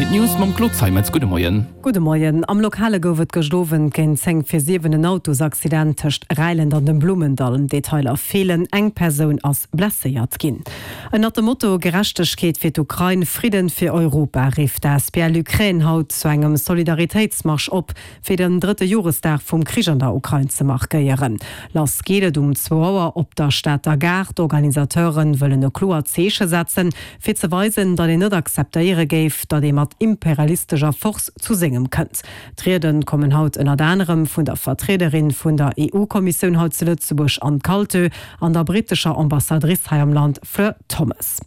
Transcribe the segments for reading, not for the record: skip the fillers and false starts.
sinn d'News mam Claude Zeimetz. Gudde Moien. Gudde Moien. Am Lokale gouf et gëscht Owend géint 10 vir 7 en Autosaccident tëscht Räilent an dem Blummendall. Detailer feelen, eng Persoun ass blesséiert ginn. Ënnert dem Motto Gerechtegkeet fir d'Ukrain, Fridden fir Europa rifft d'asbl Ukraine haut zu engem Solidaritéitsmarsch op, fir den drëtte Joresdag vum Krich an der Ukrain ze markéieren. Lass geet et um zwou Auer op der Stater Gare. D'Organisateure wëllen e kloert Zeeche setzen, fir ze weisen, datt een net akzeptéiere géif, datt ee mat imperialistescher Force zu sengem kënnt. D'Riede kommen haut ënnert anerem vun der Vertriederin vun der EU-Kommissioun hei zu Lëtzebuerg, Anne Kaltö, an der brittescher Ambassadrice hei am Land, Fleur Thomas.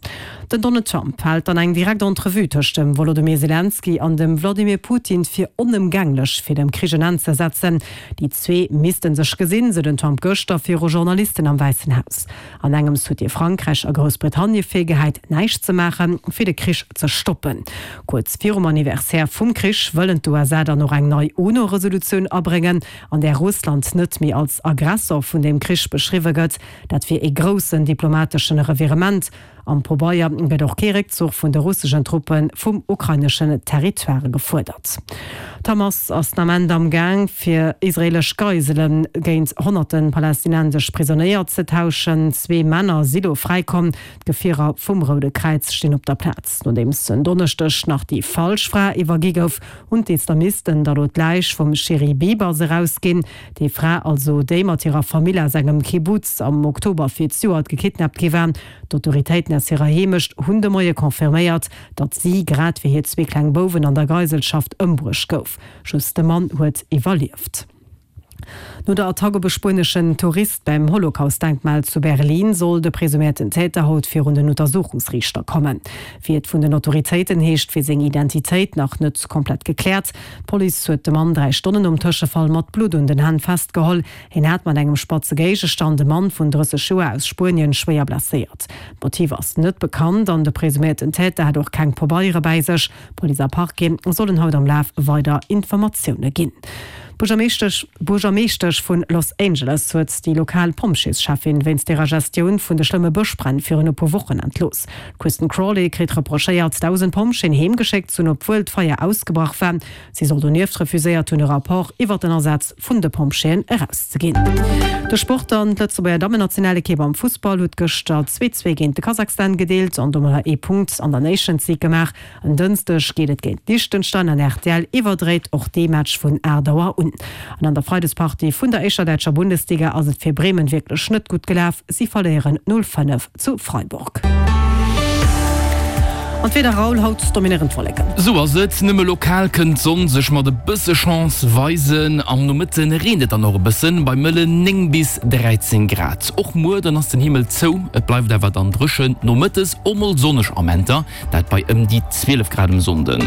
Den Donald Trump hält dann eng direkt Entrevue tëscht dem Wolodymyr Selenskyj an dem Wladimir Putin fir onëmgänglech, fir dem Krich en Enn ze setzen. Déi zwee misste sech gesinn, sou den Trump gëschter viru Journalisten am Wäissen Haus. An engems huet hie Frankräich a Groussbritannie virgehäit, näischt ze maachen, fir de Krich ze stoppen. Kuerz virum Anniversaire vum Krich wëllen d'USA dann och eng nei UNO-Resolutioun abréngen, an där Russland net méi als Aggressor vun deem Krich beschriwwe gëtt. Dat wier ee groussen diplomateschen Revirement. Am Pobeier gëtt och kee Réckzuch vun de russeschen Truppe vum ukraineschen Territoire gefuerdert. D'Hamas ass den Ament am Gaang, fir israeelesch Geisele géint honnerte palästinensesch Prisonéier ze tauschen. Zwee Männer si lo fräikomm. D'Gefierer vum Roude Kräiz stinn op der Plaz. Nodeems en Donneschdeg nach déi falsch Fra iwwergi gouf, hunn d'Islamisten da lo d'Läich vum Shiri Bibas erausginn. Déi Fra also, déi mat hirer Famill aus engem Kibbutz am Oktober fir d'Joert gekidnappt gi war. D'Autoritéiten aus hirer Heemecht hunn de Moie confirméiert, datt si, grad wéi hir zwee kleng Bouwen, an der Geiselschaft ëmbruecht gouf. Just de Mann huet iwwerlieft. No der Attack op e spueneschen Tourist beim Holocaust-Denkmal zu Berlin soll de presuméierten Täter haut virun den Untersuchungsriichter kommen. Wéi et vun den Autoritéiten heescht, wier seng Identitéit nach net komplett gekläert. D'Police huet de Mann 3 Stonnen nom Tëschefall mat Blutt un den Hänn festgeholl. Hien hat mat engem spatze Géigestand e Mann vun 30 Joer aus Spuenien schwéier blesséiert. D'Motiv ass net bekannt an de presuméierten Täter hat och keng Pabeiere bäi sech. Police a Parquet sollen haut am Laf weider Informatioune ginn. D'Buergermeeschtesch vun Los Angeles huet déi lokal Pompjeescheffin wéinst hirer Gestioun vun de schlëmme Bëschbränn virun e puer Wochen entlooss. D'Kristen Crawley kritt reprochéiert, 1.000 Pompjeeën heem geschéckt ze hunn, obwuel d'Feier ausgebrach war. Si soll donieft refuséiert hunn, e Rapport iwwer den Asaz vun de Pompjeeën erauszeginn. De Sport dann, D'Lëtzebuerger Dammennationalekipp am Fussball huet gëschter 2, 2 géint de Kasachstan gedeelt an domadder ee Punkt an der Nations League gemaach. En Dënschdeg geet et géint Liechtenstein an rtl iwwerdréit och dee Match vun 8 Auer un. An an der Freidespartie vun der éischter däitscher Bundesliga ass et fir Bremen wierklech net gutt gelaf, si verléieren 0, 5 zu Freiburg. An d'Wieder, Raoul, haut dominéieren d'Wolleken. Sou ass et, nëmme lokal kënnt d'Sonn sech mat e bësse Chance weisen. Am Nomëtte reent et dann och e bëssen, bei mëllen 9 bis 13 Grad. Och muer dann ass den Himmel zou, et bleift awer dann dréchen, nomëttes och mol sonneg Amenter, dat bei ëm déi 12 Grad um Sonnden.